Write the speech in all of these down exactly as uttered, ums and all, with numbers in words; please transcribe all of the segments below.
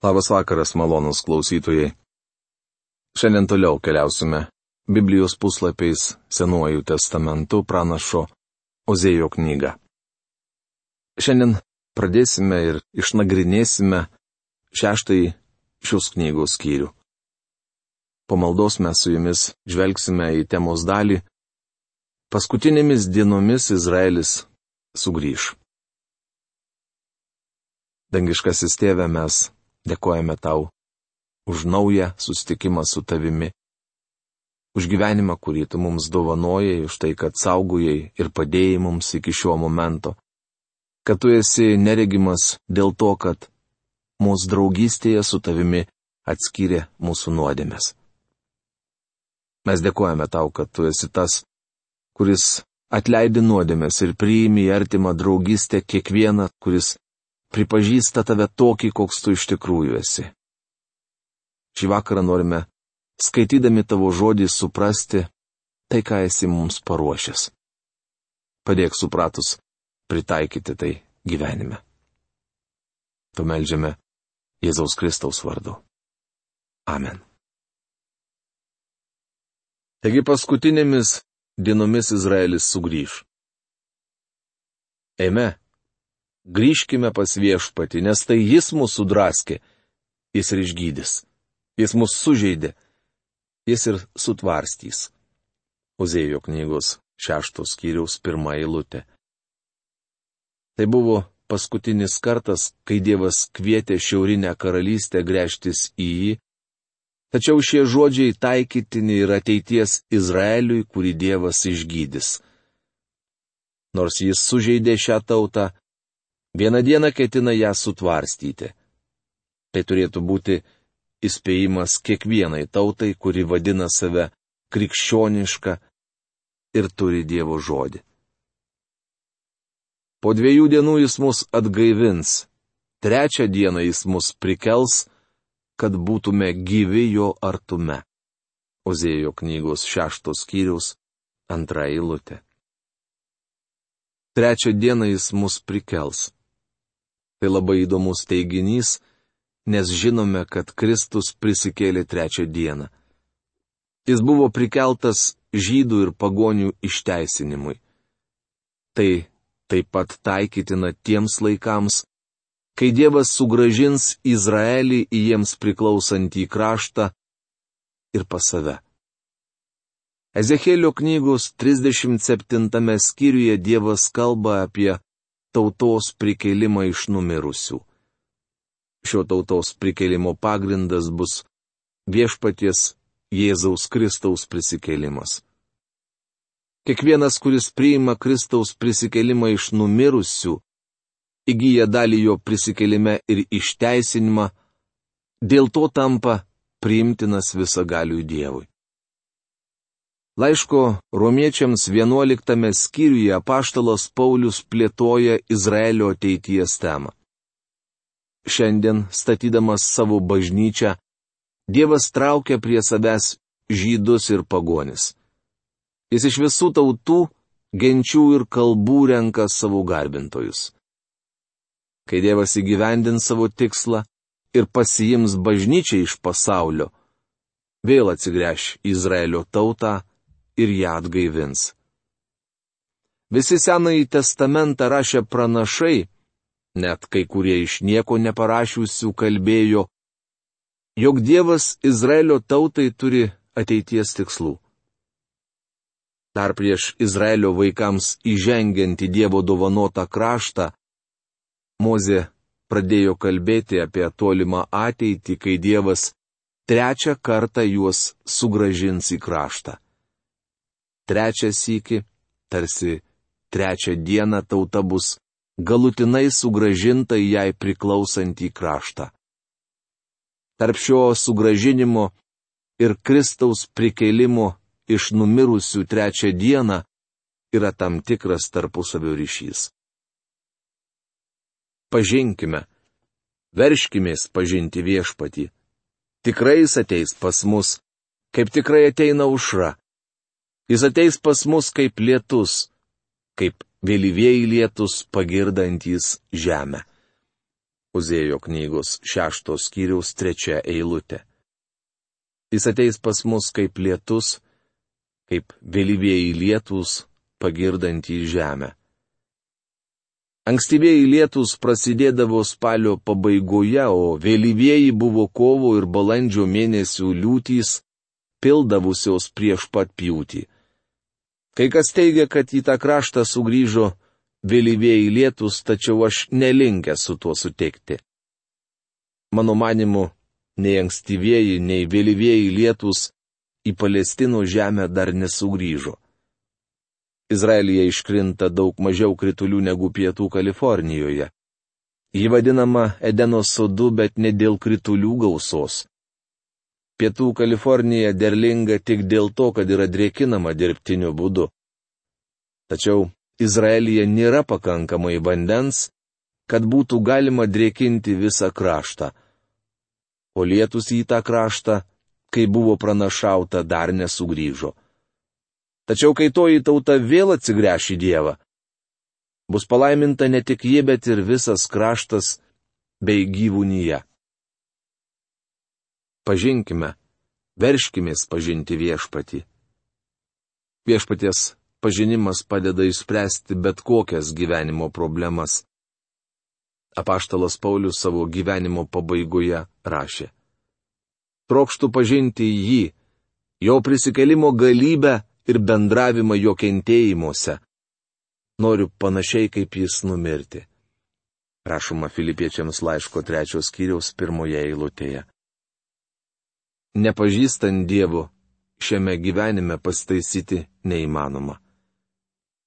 Labas vakaras, malonūs klausytojai. Šiandien toliau keliausime Biblijos puslapiais Senuoju testamentu pranašo Ozėjo knygą. Šiandien pradėsime ir išnagrinėsime šeštąjį šios knygos skyrių. Po maldos mes su jumis žvelgsime į temos dalį Paskutinėmis dienomis Izraelis sugrįš. Dangiškasis Tėve, mes dėkojame tau už naują susitikimą su tavimi, už gyvenimą, kurį tu mums dovanojai, už tai, kad saugojai ir padėjai mums iki šio momento, kad tu esi neregimas dėl to, kad mūsų draugystėje su tavimi atskyrė mūsų nuodėmes. Mes dėkojame tau, kad tu esi tas, kuris atleidi nuodėmes ir priimi į artimą draugystę kiekvieną, kuris pripažįsta tave tokį, koks tu iš tikrųjų esi. Šį vakarą norime, skaitydami tavo žodį, suprasti tai, ką esi mums paruošęs. Padėk supratus pritaikyti tai gyvenime. Tu meldžiame Jėzaus Kristaus vardu. Amen. Taigi paskutinėmis dienomis Izraelis sugrįš. Eime. Grįžkime pas Viešpatį, nes tai jis mūsų draskė, jis ir išgydys, jis mūsų sužeidė, jis ir sutvarstys. Ozėjo knygos šeštos skyriaus pirma eilutė. Tai buvo paskutinis kartas, kai Dievas kvietė šiaurinę karalystę gręžtis į jį, tačiau šie žodžiai taikytini ir ateities Izraeliui, kurį Dievas išgydys. Nors jis sužeidė šią tautą, vieną dieną ketina ją sutvarstyti. Tai turėtų būti įspėjimas kiekvienai tautai, kuri vadina save krikščioniška ir turi Dievo žodį. Po dviejų dienų jis mus atgaivins, trečią dieną jis mus prikels, kad būtume gyvi jo artume. Ozėjo knygos šeštos skyriaus antra eilutė. Trečią dieną jis mus prikels. Tai labai įdomus teiginys, nes žinome, kad Kristus prisikėlė trečią dieną. Jis buvo prikeltas žydų ir pagonių išteisinimui. Tai taip pat taikytina tiems laikams, kai Dievas sugrąžins Izraelį į jiems priklausantį kraštą ir pas save. Ezechielio knygos trisdešimt septintame skyriuje Dievas kalba apie tautos prikėlimą iš numirusių. Šio tautos prikėlimo pagrindas bus Viešpaties Jėzaus Kristaus prisikėlimas. Kiekvienas, kuris priima Kristaus prisikėlimą iš numirusių, įgyja dalį jo prisikėlime ir išteisinimą, dėl to tampa priimtinas visagaliui Dievui. Laiško romiečiams vienuoliktame skyriuje apaštalas Paulius plėtoja Izraelio ateities temą. Šiandien, statydamas savo bažnyčią, Dievas traukia prie savęs žydus ir pagonis. Jis iš visų tautų, genčių ir kalbų renka savo garbintojus. Kai Dievas įgyvendins savo tikslą ir pasiims bažnyčią iš pasaulio, vėl atsigręš į Izraelio tautą ir ją atgaivins. Visi Senąjį testamentą rašę pranašai, net kai kurie iš nieko neparašiusių kalbėjo, jog Dievas Izraelio tautai turi ateities tikslų. Dar prieš Izraelio vaikams įžengiant į Dievo dovanotą kraštą, Mozė pradėjo kalbėti apie tolimą ateitį, kai Dievas trečią kartą juos sugrąžins į kraštą. Trečią sykį, tarsi trečią dieną tauta bus galutinai sugrąžinta į jai priklausantį kraštą. Tarp šio sugrąžinimo ir Kristaus prikėlimo iš numirusių trečią dieną yra tam tikras tarpusavio ryšys. Pažinkime, verškimės pažinti Viešpatį. Tikrai jis ateis pas mus, kaip tikrai ateina aušra. Jis ateis pas mus kaip lietus, kaip vėlyvieji lietus pagirdantys žemę. Ozėjo knygos šeštos skyriaus trečia eilutė. Jis ateis pas mus kaip lietus, kaip vėlyvieji lietūs, pagirdantį žemę. Ankstyvieji lietūs prasidėdavo spalio pabaigoje, o vėlyvieji buvo kovo ir balandžio mėnesių liūtys, pildavusios prieš pat pjūtį. Kai kas teigia, kad į tą kraštą sugrįžo vėlyvieji lietūs, tačiau aš nelinkęs su tuo sutikti. Mano manimu, nei ankstyvieji, nei vėlyvieji lietūs į Palestinos žemę dar nesugrįžo. Izraelyje iškrinta daug mažiau kritulių negu pietų Kalifornijoje. Ji vadinama Edeno sodu, bet ne dėl kritulių gausos. Pietų Kalifornija derlinga tik dėl to, kad yra drėkinama dirbtiniu būdu. Tačiau Izraelyje nėra pakankamai vandens, kad būtų galima drėkinti visą kraštą. O lietus į tą kraštą, kai buvo pranašauta, dar nesugrįžo. Tačiau kai toji tauta vėl atsigręš į Dievą, bus palaiminta ne tik ji, bet ir visas kraštas bei gyvūnyje. Pažinkime, verškimės pažinti viešpatį. Viešpaties pažinimas padeda išspręsti bet kokias gyvenimo problemas. Apaštalas Paulius savo gyvenimo pabaigoje rašė: Trokštu pažinti jį, jo prisikelimo galybę ir bendravimą jo kentėjimuose. Noriu panašiai kaip jis numirti. Rašoma Filipiečiams laiško trečios skyriaus pirmoje eilutėje. Nepažįstant Dievo, šiame gyvenime pasitaisyti neįmanoma.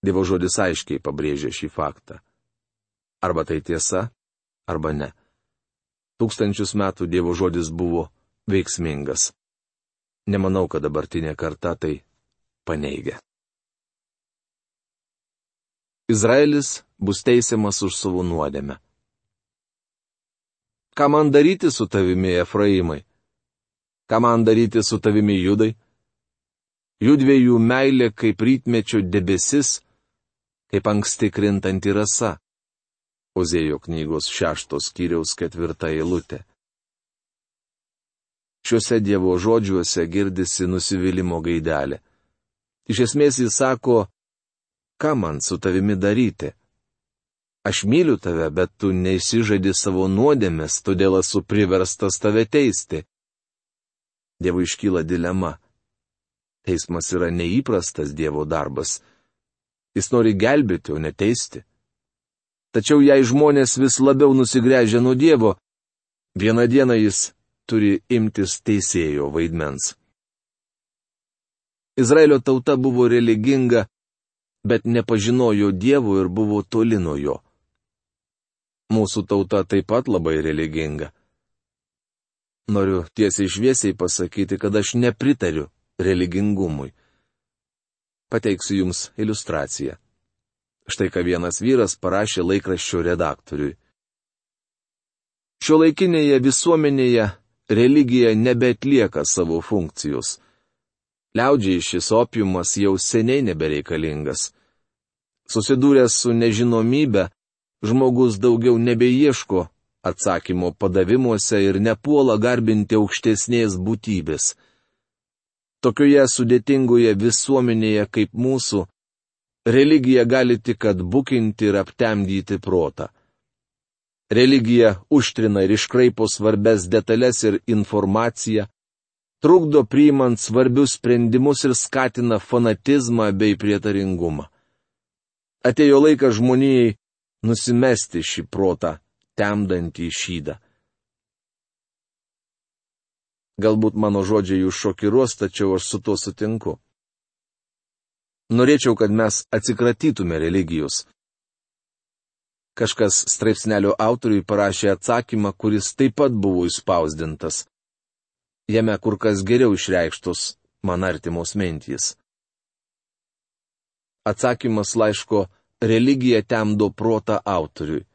Dievo žodis aiškiai pabrėžia šį faktą. Arba tai tiesa, arba ne. Tūkstančius metų Dievo žodis buvo veiksmingas. Nemanau, kad dabartinė karta tai paneigia. Izraelis bus teisiamas už savo nuodėmę. Ką man daryti su tavimi, Efraimai? Ką man daryti su tavimi, Judai? Judviejų meilė kaip rytmečio debesis, kaip anksti krintanti rasa. Ozėjo knygos šeštos skyriaus ketvirta eilutė. Šiuose Dievo žodžiuose girdisi nusivylimo gaidelė. Iš esmės jis sako, ką man su tavimi daryti? Aš myliu tave, bet tu neišsižadi savo nuodėmės, todėl esu priverstas tave teisti. Dievui iškyla dilema. Teismas yra neįprastas Dievo darbas. Jis nori gelbėti, o ne teisti. Tačiau jei žmonės vis labiau nusigręžia nuo Dievo, vieną dieną jis turi imtis teisėjo vaidmens. Izraelio tauta buvo religinga, bet nepažinojo Dievo ir buvo toli nuo jo. Mūsų tauta taip pat labai religinga. Noriu tiesiai šviesiai pasakyti, kad aš nepritariu religingumui. Pateiksiu jums iliustraciją. Štai ką vienas vyras parašė laikraščio redaktoriui. Šiuolaikinėje visuomenėje religija nebeatlieka savo funkcijos. Liaudžiai šis opiumas jau seniai nebereikalingas. Susidūręs su nežinomybe, žmogus daugiau nebeieško atsakymo padavimuose ir nepuola garbinti aukštesnės būtybės. Tokioje sudėtingoje visuomenėje kaip mūsų, religija gali tik atbukinti ir aptemdyti protą. Religija užtrina ir iškraipo svarbes detalės ir informaciją, trukdo priimant svarbius sprendimus ir skatina fanatizmą bei prietaringumą. Atėjo laikas žmonijai nusimesti šį protą, temdantį šydą. Galbūt mano žodžiai jūs šokiruos, tačiau aš su tuo sutinku. Norėčiau, kad mes atsikratytume religijos. Kažkas straipsnelio autoriui parašė atsakymą, kuris taip pat buvo išspausdintas. Jame kur kas geriau išreikštos man artimos mintys. Atsakymas laiško Religija temdo protą autoriui.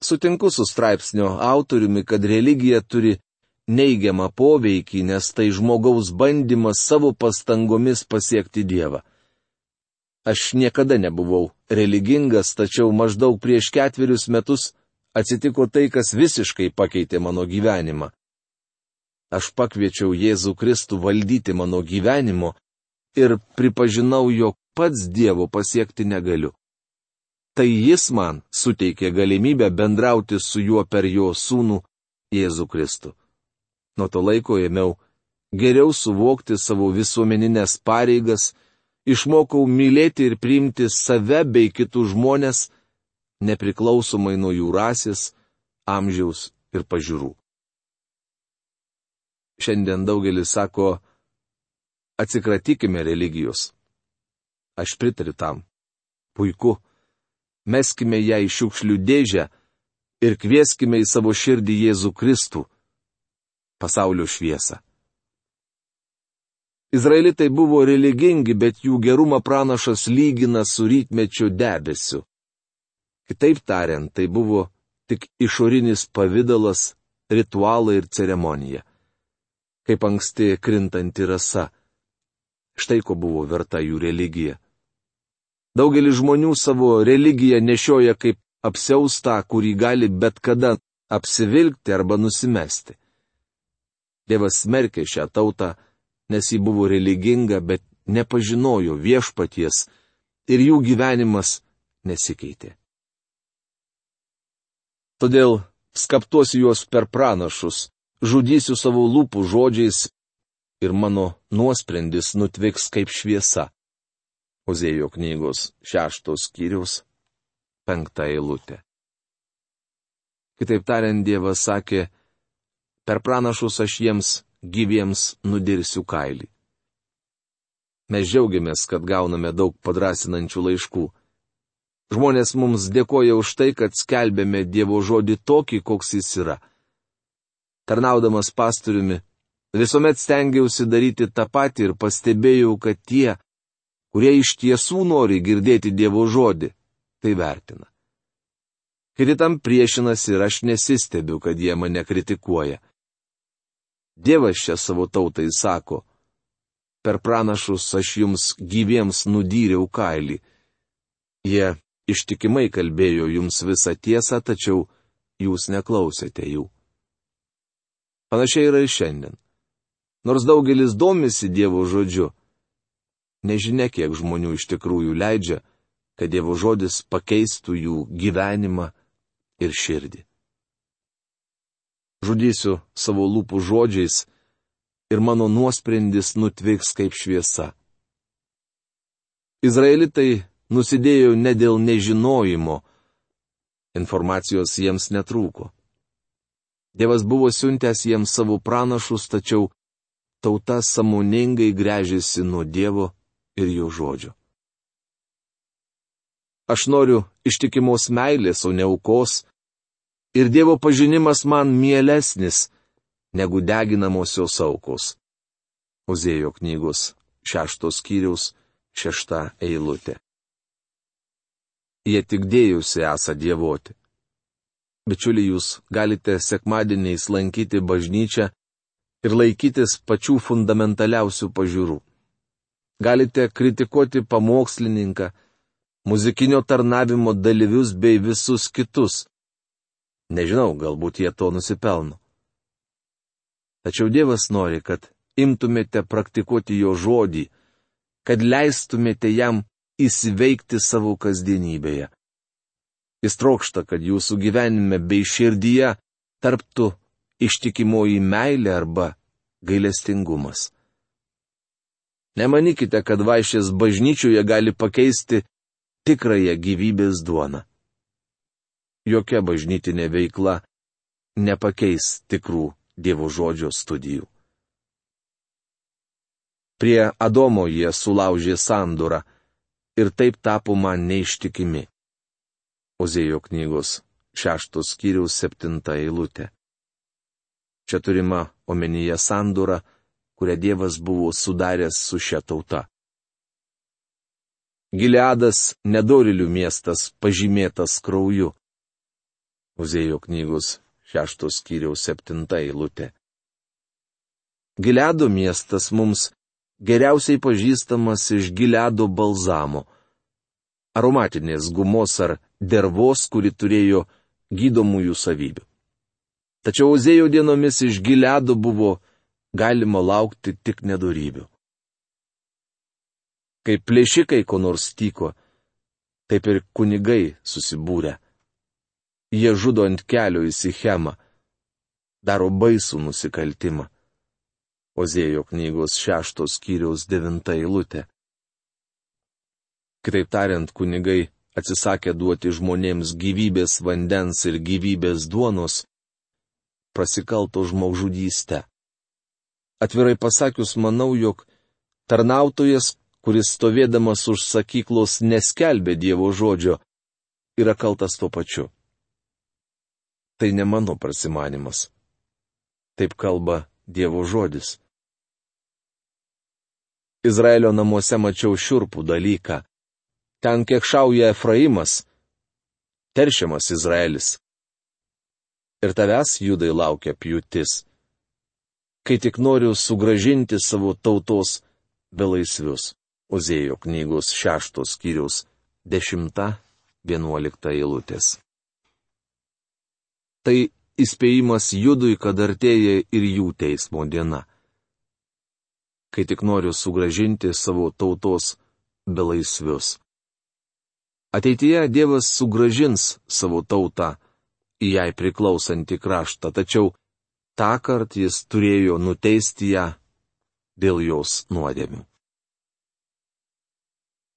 Sutinku su straipsnio autoriumi, kad religija turi neigiamą poveikį, nes tai žmogaus bandymas savo pastangomis pasiekti Dievą. Aš niekada nebuvau religingas, tačiau maždaug prieš ketverius metus atsitiko tai, kas visiškai pakeitė mano gyvenimą. Aš pakviečiau Jėzų Kristų valdyti mano gyvenimo ir pripažinau, jog pats Dievo pasiekti negaliu. Tai Jis man suteikė galimybę bendrauti su juo per jo sūnų Jėzų Kristų. Nuo to laiko ėmiau geriau suvokti savo visuomeninės pareigas, išmokau mylėti ir priimti save bei kitus žmonės, nepriklausomai nuo jų rasės, amžiaus ir pažiūrų. Šiandien daugelis sako, atsikratykime religijos. Aš pritariu tam. Puiku. Meskime ją į šiukšlių dėžę ir kvieskime į savo širdį Jėzų Kristų, pasaulio šviesą. Izraelitai buvo religingi, bet jų gerumą pranašas lygina su rytmečio debesiu. Kitaip tariant, tai buvo tik išorinis pavidalas, ritualai ir ceremonija. Kaip anksti krintanti rasa. Štai ko buvo verta jų religija. Daugelis žmonių savo religiją nešioja kaip apsiaustą, kurį gali bet kada apsivilkti arba nusimesti. Dievas smerkė šią tautą, nes ji buvo religinga, bet nepažinojo viešpaties ir jų gyvenimas nesikeitė. Todėl skaptuosiu juos per pranašus, žudysiu savo lūpų žodžiais ir mano nuosprendis nutviks kaip šviesa. Ozėjo knygos šeštos skyriaus penkta eilutė. Kitaip tariant, Dievas sakė, per pranašus aš jiems gyviems nudirsiu kailį. Mes džiaugiamės, kad gauname daug padrasinančių laiškų. Žmonės mums dėkoja už tai, kad skelbėme Dievo žodį tokį, koks jis yra. Tarnaudamas pastoriumi, visuomet stengiausi daryti tą patį ir pastebėjau, kad tie, kurie iš tiesų nori girdėti Dievo žodį, tai vertina. Kiti tam priešinasi ir aš nesistebiu, kad jie mane kritikuoja. Dievas čia savo tautai sako, per pranašus aš jums gyviems nudyriau kailį. Jie ištikimai kalbėjo jums visą tiesą, tačiau jūs neklausėte jų. Panašiai yra ir šiandien. Nors daugelis domisi Dievo žodžiu, nežinia, kiek žmonių iš tikrųjų leidžia, kad Dievo žodis pakeistų jų gyvenimą ir širdį. Žudysiu savo lūpų žodžiais ir mano nuosprendis nutviks kaip šviesa. Izraelitai nusidėjo ne dėl nežinojimo, informacijos jiems netrūko. Dievas buvo siuntęs jiems savo pranašus, tačiau tauta sąmoningai gręžėsi nuo Dievo ir jo žodžio. Aš noriu ištikimos meilės, o ne aukos, ir Dievo pažinimas man mielesnis negu deginamosios aukos. Ozėjo knygos šeštos skyriaus šešta eilutė. Jie tik dėjusi esą dievoti. Bičiuliai, jūs galite sekmadieniais lankyti bažnyčią ir laikytis pačių fundamentaliausių pažiūrų. Galite kritikuoti pamokslininką, muzikinio tarnavimo dalyvius bei visus kitus. Nežinau, galbūt jie to nusipelno. Tačiau Dievas nori, kad imtumėte praktikuoti jo žodį, kad leistumėte jam įsiveikti savo kasdienybėje. Jis trokšta, kad jūsų gyvenime bei širdyje tarptų ištikimoji meilė arba gailestingumas. Nemanykite, kad vaišės bažnyčioje gali pakeisti tikrąją gyvybės duoną. Jokia bažnytinė veikla nepakeis tikrų Dievo žodžio studijų. Prie Adomo jie sulaužė sandorą ir taip tapo man neištikimi. Ozėjo knygos šeštos skyriaus septinta eilutė. Čia turima omenyje sandora, kurią Dievas buvo sudaręs su šia tauta. Gileadas nedorilių miestas pažymėtas krauju. Ozėjo knygos šeštos skyriaus septinta eilutė. Gileado miestas mums geriausiai pažįstamas iš Gileado balzamo, aromatinės gumos ar dervos, kuri turėjo gydomųjų savybių. Tačiau Ozėjo dienomis iš Gileado buvo galima laukti tik nedorybių. Kaip plėšikai ko nors tyko, taip ir kunigai susibūrė. Jie žudo ant kelio į Sichemą, daro baisų nusikaltimą. Ozėjo knygos šeštos skyriaus devinta eilutė. Kitaip tariant, kunigai atsisakė duoti žmonėms gyvybės vandens ir gyvybės duonos, prasikalto žmogžudystę. Atvirai pasakius, manau, jog tarnautojas, kuris stovėdamas už sakyklos neskelbė Dievo žodžio, yra kaltas tuo pačiu. Tai ne mano prasimanimas. Taip kalba Dievo žodis. Izraelio namuose mačiau šiurpų dalyką. Ten kekšauja Efraimas, teršiamas Izraelis. Ir tavęs, Judai, laukia pjūtis, kai tik noriu sugražinti savo tautos belaisvius. Ozėjo knygos šeštos skyriaus dešimta vienuolikta eilutės. Tai įspėjimas Judui, kad artėja ir jų teismo diena. Kai tik noriu sugražinti savo tautos belaisvius. Ateityje Dievas sugražins savo tautą į jai priklausantį kraštą, tačiau tąkart jis turėjo nuteisti ją dėl jos nuodėmių.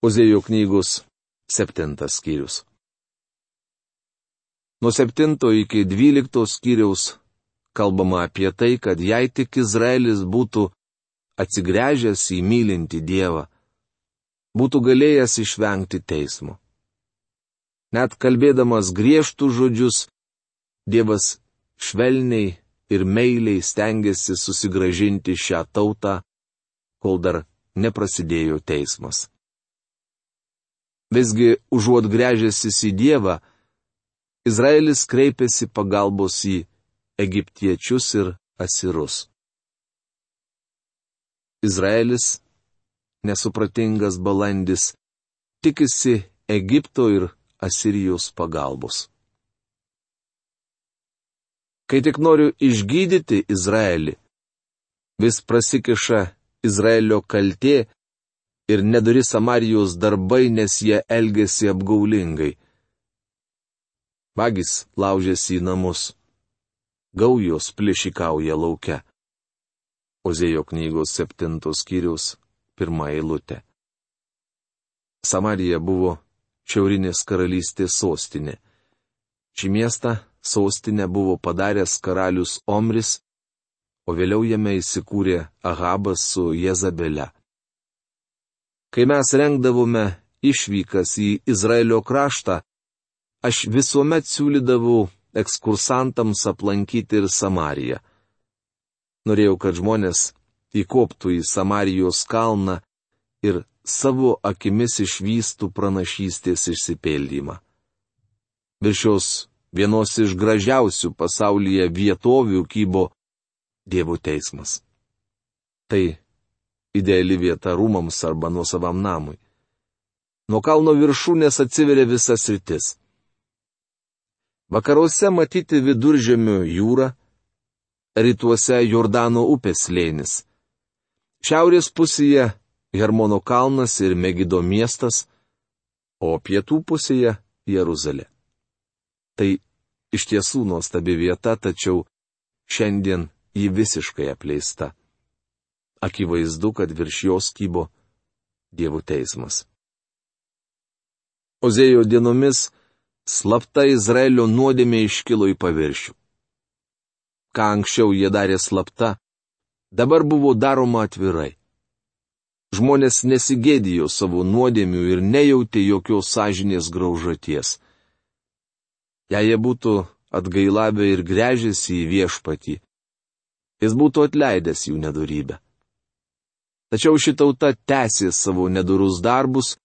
Ozėjo knygos septintas skyrius. Nuo septinto iki dvyliktos skyriaus kalbama apie tai, kad jei tik Izraelis būtų atsigręžęs į mylintį Dievą, būtų galėjęs išvengti teismo. Net kalbėdamas griežtų žodžius, Dievas švelniai ir meiliai stengiasi susigražinti šią tautą, kol dar neprasidėjo teismas. Visgi, užuot gręžęsis į Dievą, Izraelis kreipėsi pagalbos į egiptiečius ir asirus. Izraelis, nesupratingas balandis, tikisi Egipto ir Asirijos pagalbos. Kai tik noriu išgydyti Izraelį, vis prasikiša Izraelio kaltė ir nedori Samarijos darbai, nes jie elgėsi apgaulingai. Vagys laužėsi į namus, gaujos plėšikauja lauke. Ozėjo knygos septintos skyriaus pirma eilutė. Samarija buvo šiaurinės karalystės sostinė. Šį miestą sostinę buvo padaręs karalius Omris, o vėliau jame įsikūrė Ahabas su Jezabele. Kai mes rengdavome išvykas į Izraelio kraštą, aš visuomet siūlydavau ekskursantams aplankyti ir Samariją. Norėjau, kad žmonės įkoptų į Samarijos kalną ir savo akimis išvystų pranašystės išsipildymą. Virš šios vienos iš gražiausių pasaulyje vietovių kybo Dievo teismas. Tai ideali vieta rūmams arba nuosavam namui. Nuo kalno viršūnės atsiveria visa sritis. Vakaruose matyti Viduržemio jūra, rytuose Jordano upės slėnis. Šiaurės pusėje Hermono kalnas ir Megido miestas, o pietų pusėje Jeruzalė. Tai iš tiesų nuostabi vieta, tačiau šiandien ji visiškai apleista. Akivaizdu, kad virš jos kybo Dievo teismas. Ozėjo dienomis slapta Izraelio nuodėmė iškilo į paviršių. Ką anksčiau jie darė slapta, dabar buvo daroma atvirai. Žmonės nesigėdijo savo nuodėmių ir nejautė jokios sąžinės graužaties. Jei jie būtų atgailavę ir gręžėsi į viešpatį, jis būtų atleidęs jų nedorybę. Tačiau ši tauta tęsė savo nedorus darbus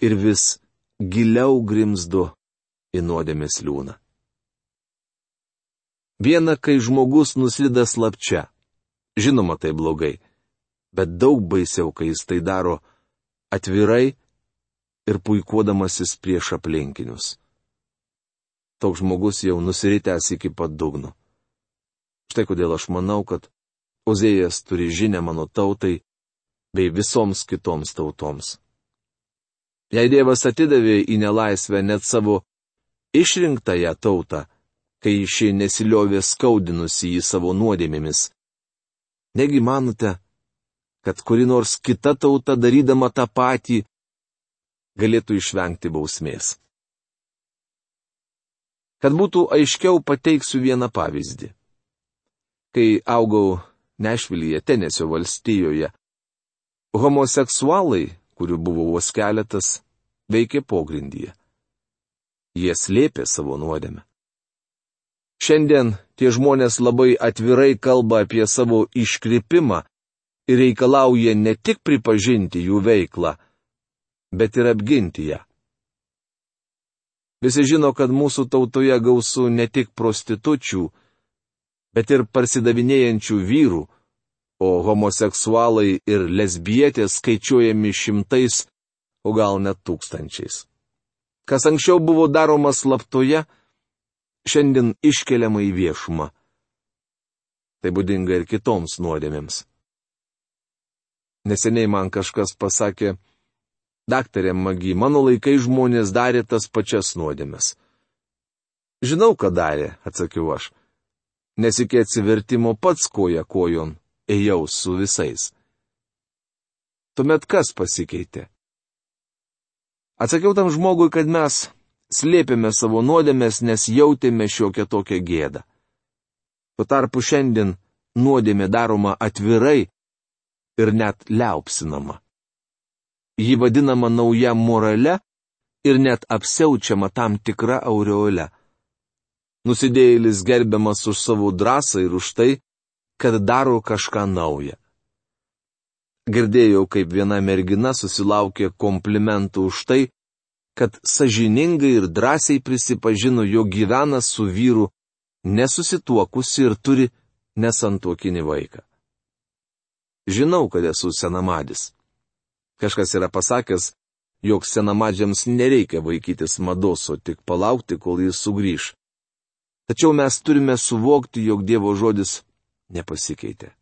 ir vis giliau grimzdo į nuodėmės liūną. Viena, kai žmogus nuslida slapčia. Žinoma, tai blogai, bet daug baisiau, kai jis tai daro atvirai ir puikuodamasis prieš aplinkinius. toks žmogus jau nusiritęs iki pat dugno. Štai kodėl aš manau, kad Ozėjas turi žinę mano tautai bei visoms kitoms tautoms. Jei Dievas atidavė į nelaisvę net savo išrinktąją tautą, kai ši nesiliovė skaudinusi į savo nuodėmėmis, negi manote, kad kuri nors kita tauta darydama tą patį galėtų išvengti bausmės? Kad būtų aiškiau, pateiksiu vieną pavyzdį. Kai augau Nešvilyje, Tenesio valstijoje, homoseksualai, kurių buvo vos keletas, veikė pogrindyje. Jie slėpė savo nuodėmę. Šiandien tie žmonės labai atvirai kalba apie savo iškrypimą ir reikalauja ne tik pripažinti jų veiklą, bet ir apginti ją. Visi žino, kad mūsų tautoje gausu ne tik prostitučių, bet ir parsidavinėjančių vyrų, o homoseksualai ir lesbietės skaičiuojami šimtais, o gal net tūkstančiais. Kas anksčiau buvo daroma slaptoje, šiandien iškeliama į viešumą. Tai būdinga ir kitoms nuodėmėms. Neseniai man kažkas pasakė: daktarė Magi, mano laikai žmonės darė tas pačias nuodėmes. Žinau, ką darė, atsakiau aš. Nes iki atsivertimo pats koja kojon ėjau su visais. Tuomet kas pasikeitė? Atsakiau tam žmogui, kad mes slėpėme savo nuodėmes, nes jautėme šiokią tokią gėdą. Tuo tarpu šiandien nuodėmė daroma atvirai ir net liaupsinama. Ji vadinama nauja morale ir net apsiaučiama tam tikra aureole. Nusidėjėlis gerbiamas už savo drąsą ir už tai, kad daro kažką naują. Girdėjau, kaip viena mergina susilaukė komplimentų už tai, kad sąžiningai ir drąsiai prisipažino, jog gyvena su vyru nesusituokusi ir turi nesantuokinį vaiką. Žinau, kad esu senamadis. Kažkas yra pasakęs, jog senamadžiams nereikia vaikytis mados, o tik palaukti, kol jis sugrįž. Tačiau mes turime suvokti, jog Dievo žodis nepasikeitė.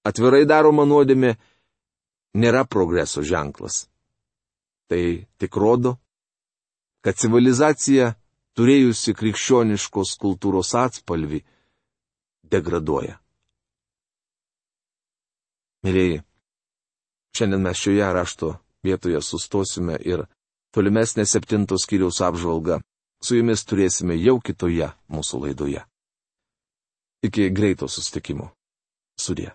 Atvirai daroma nuodėmė nėra progreso ženklas. Tai tik rodo, kad civilizacija, turėjusi krikščioniškos kultūros atspalvį, degraduoja. Mylėjai, šiandien mes šioje rašto vietoje sustosime ir tolimesnė septintos skyriaus apžvalga su jumis turėsime jau kitoje mūsų laidoje. Iki greito susitikimo. Sudie.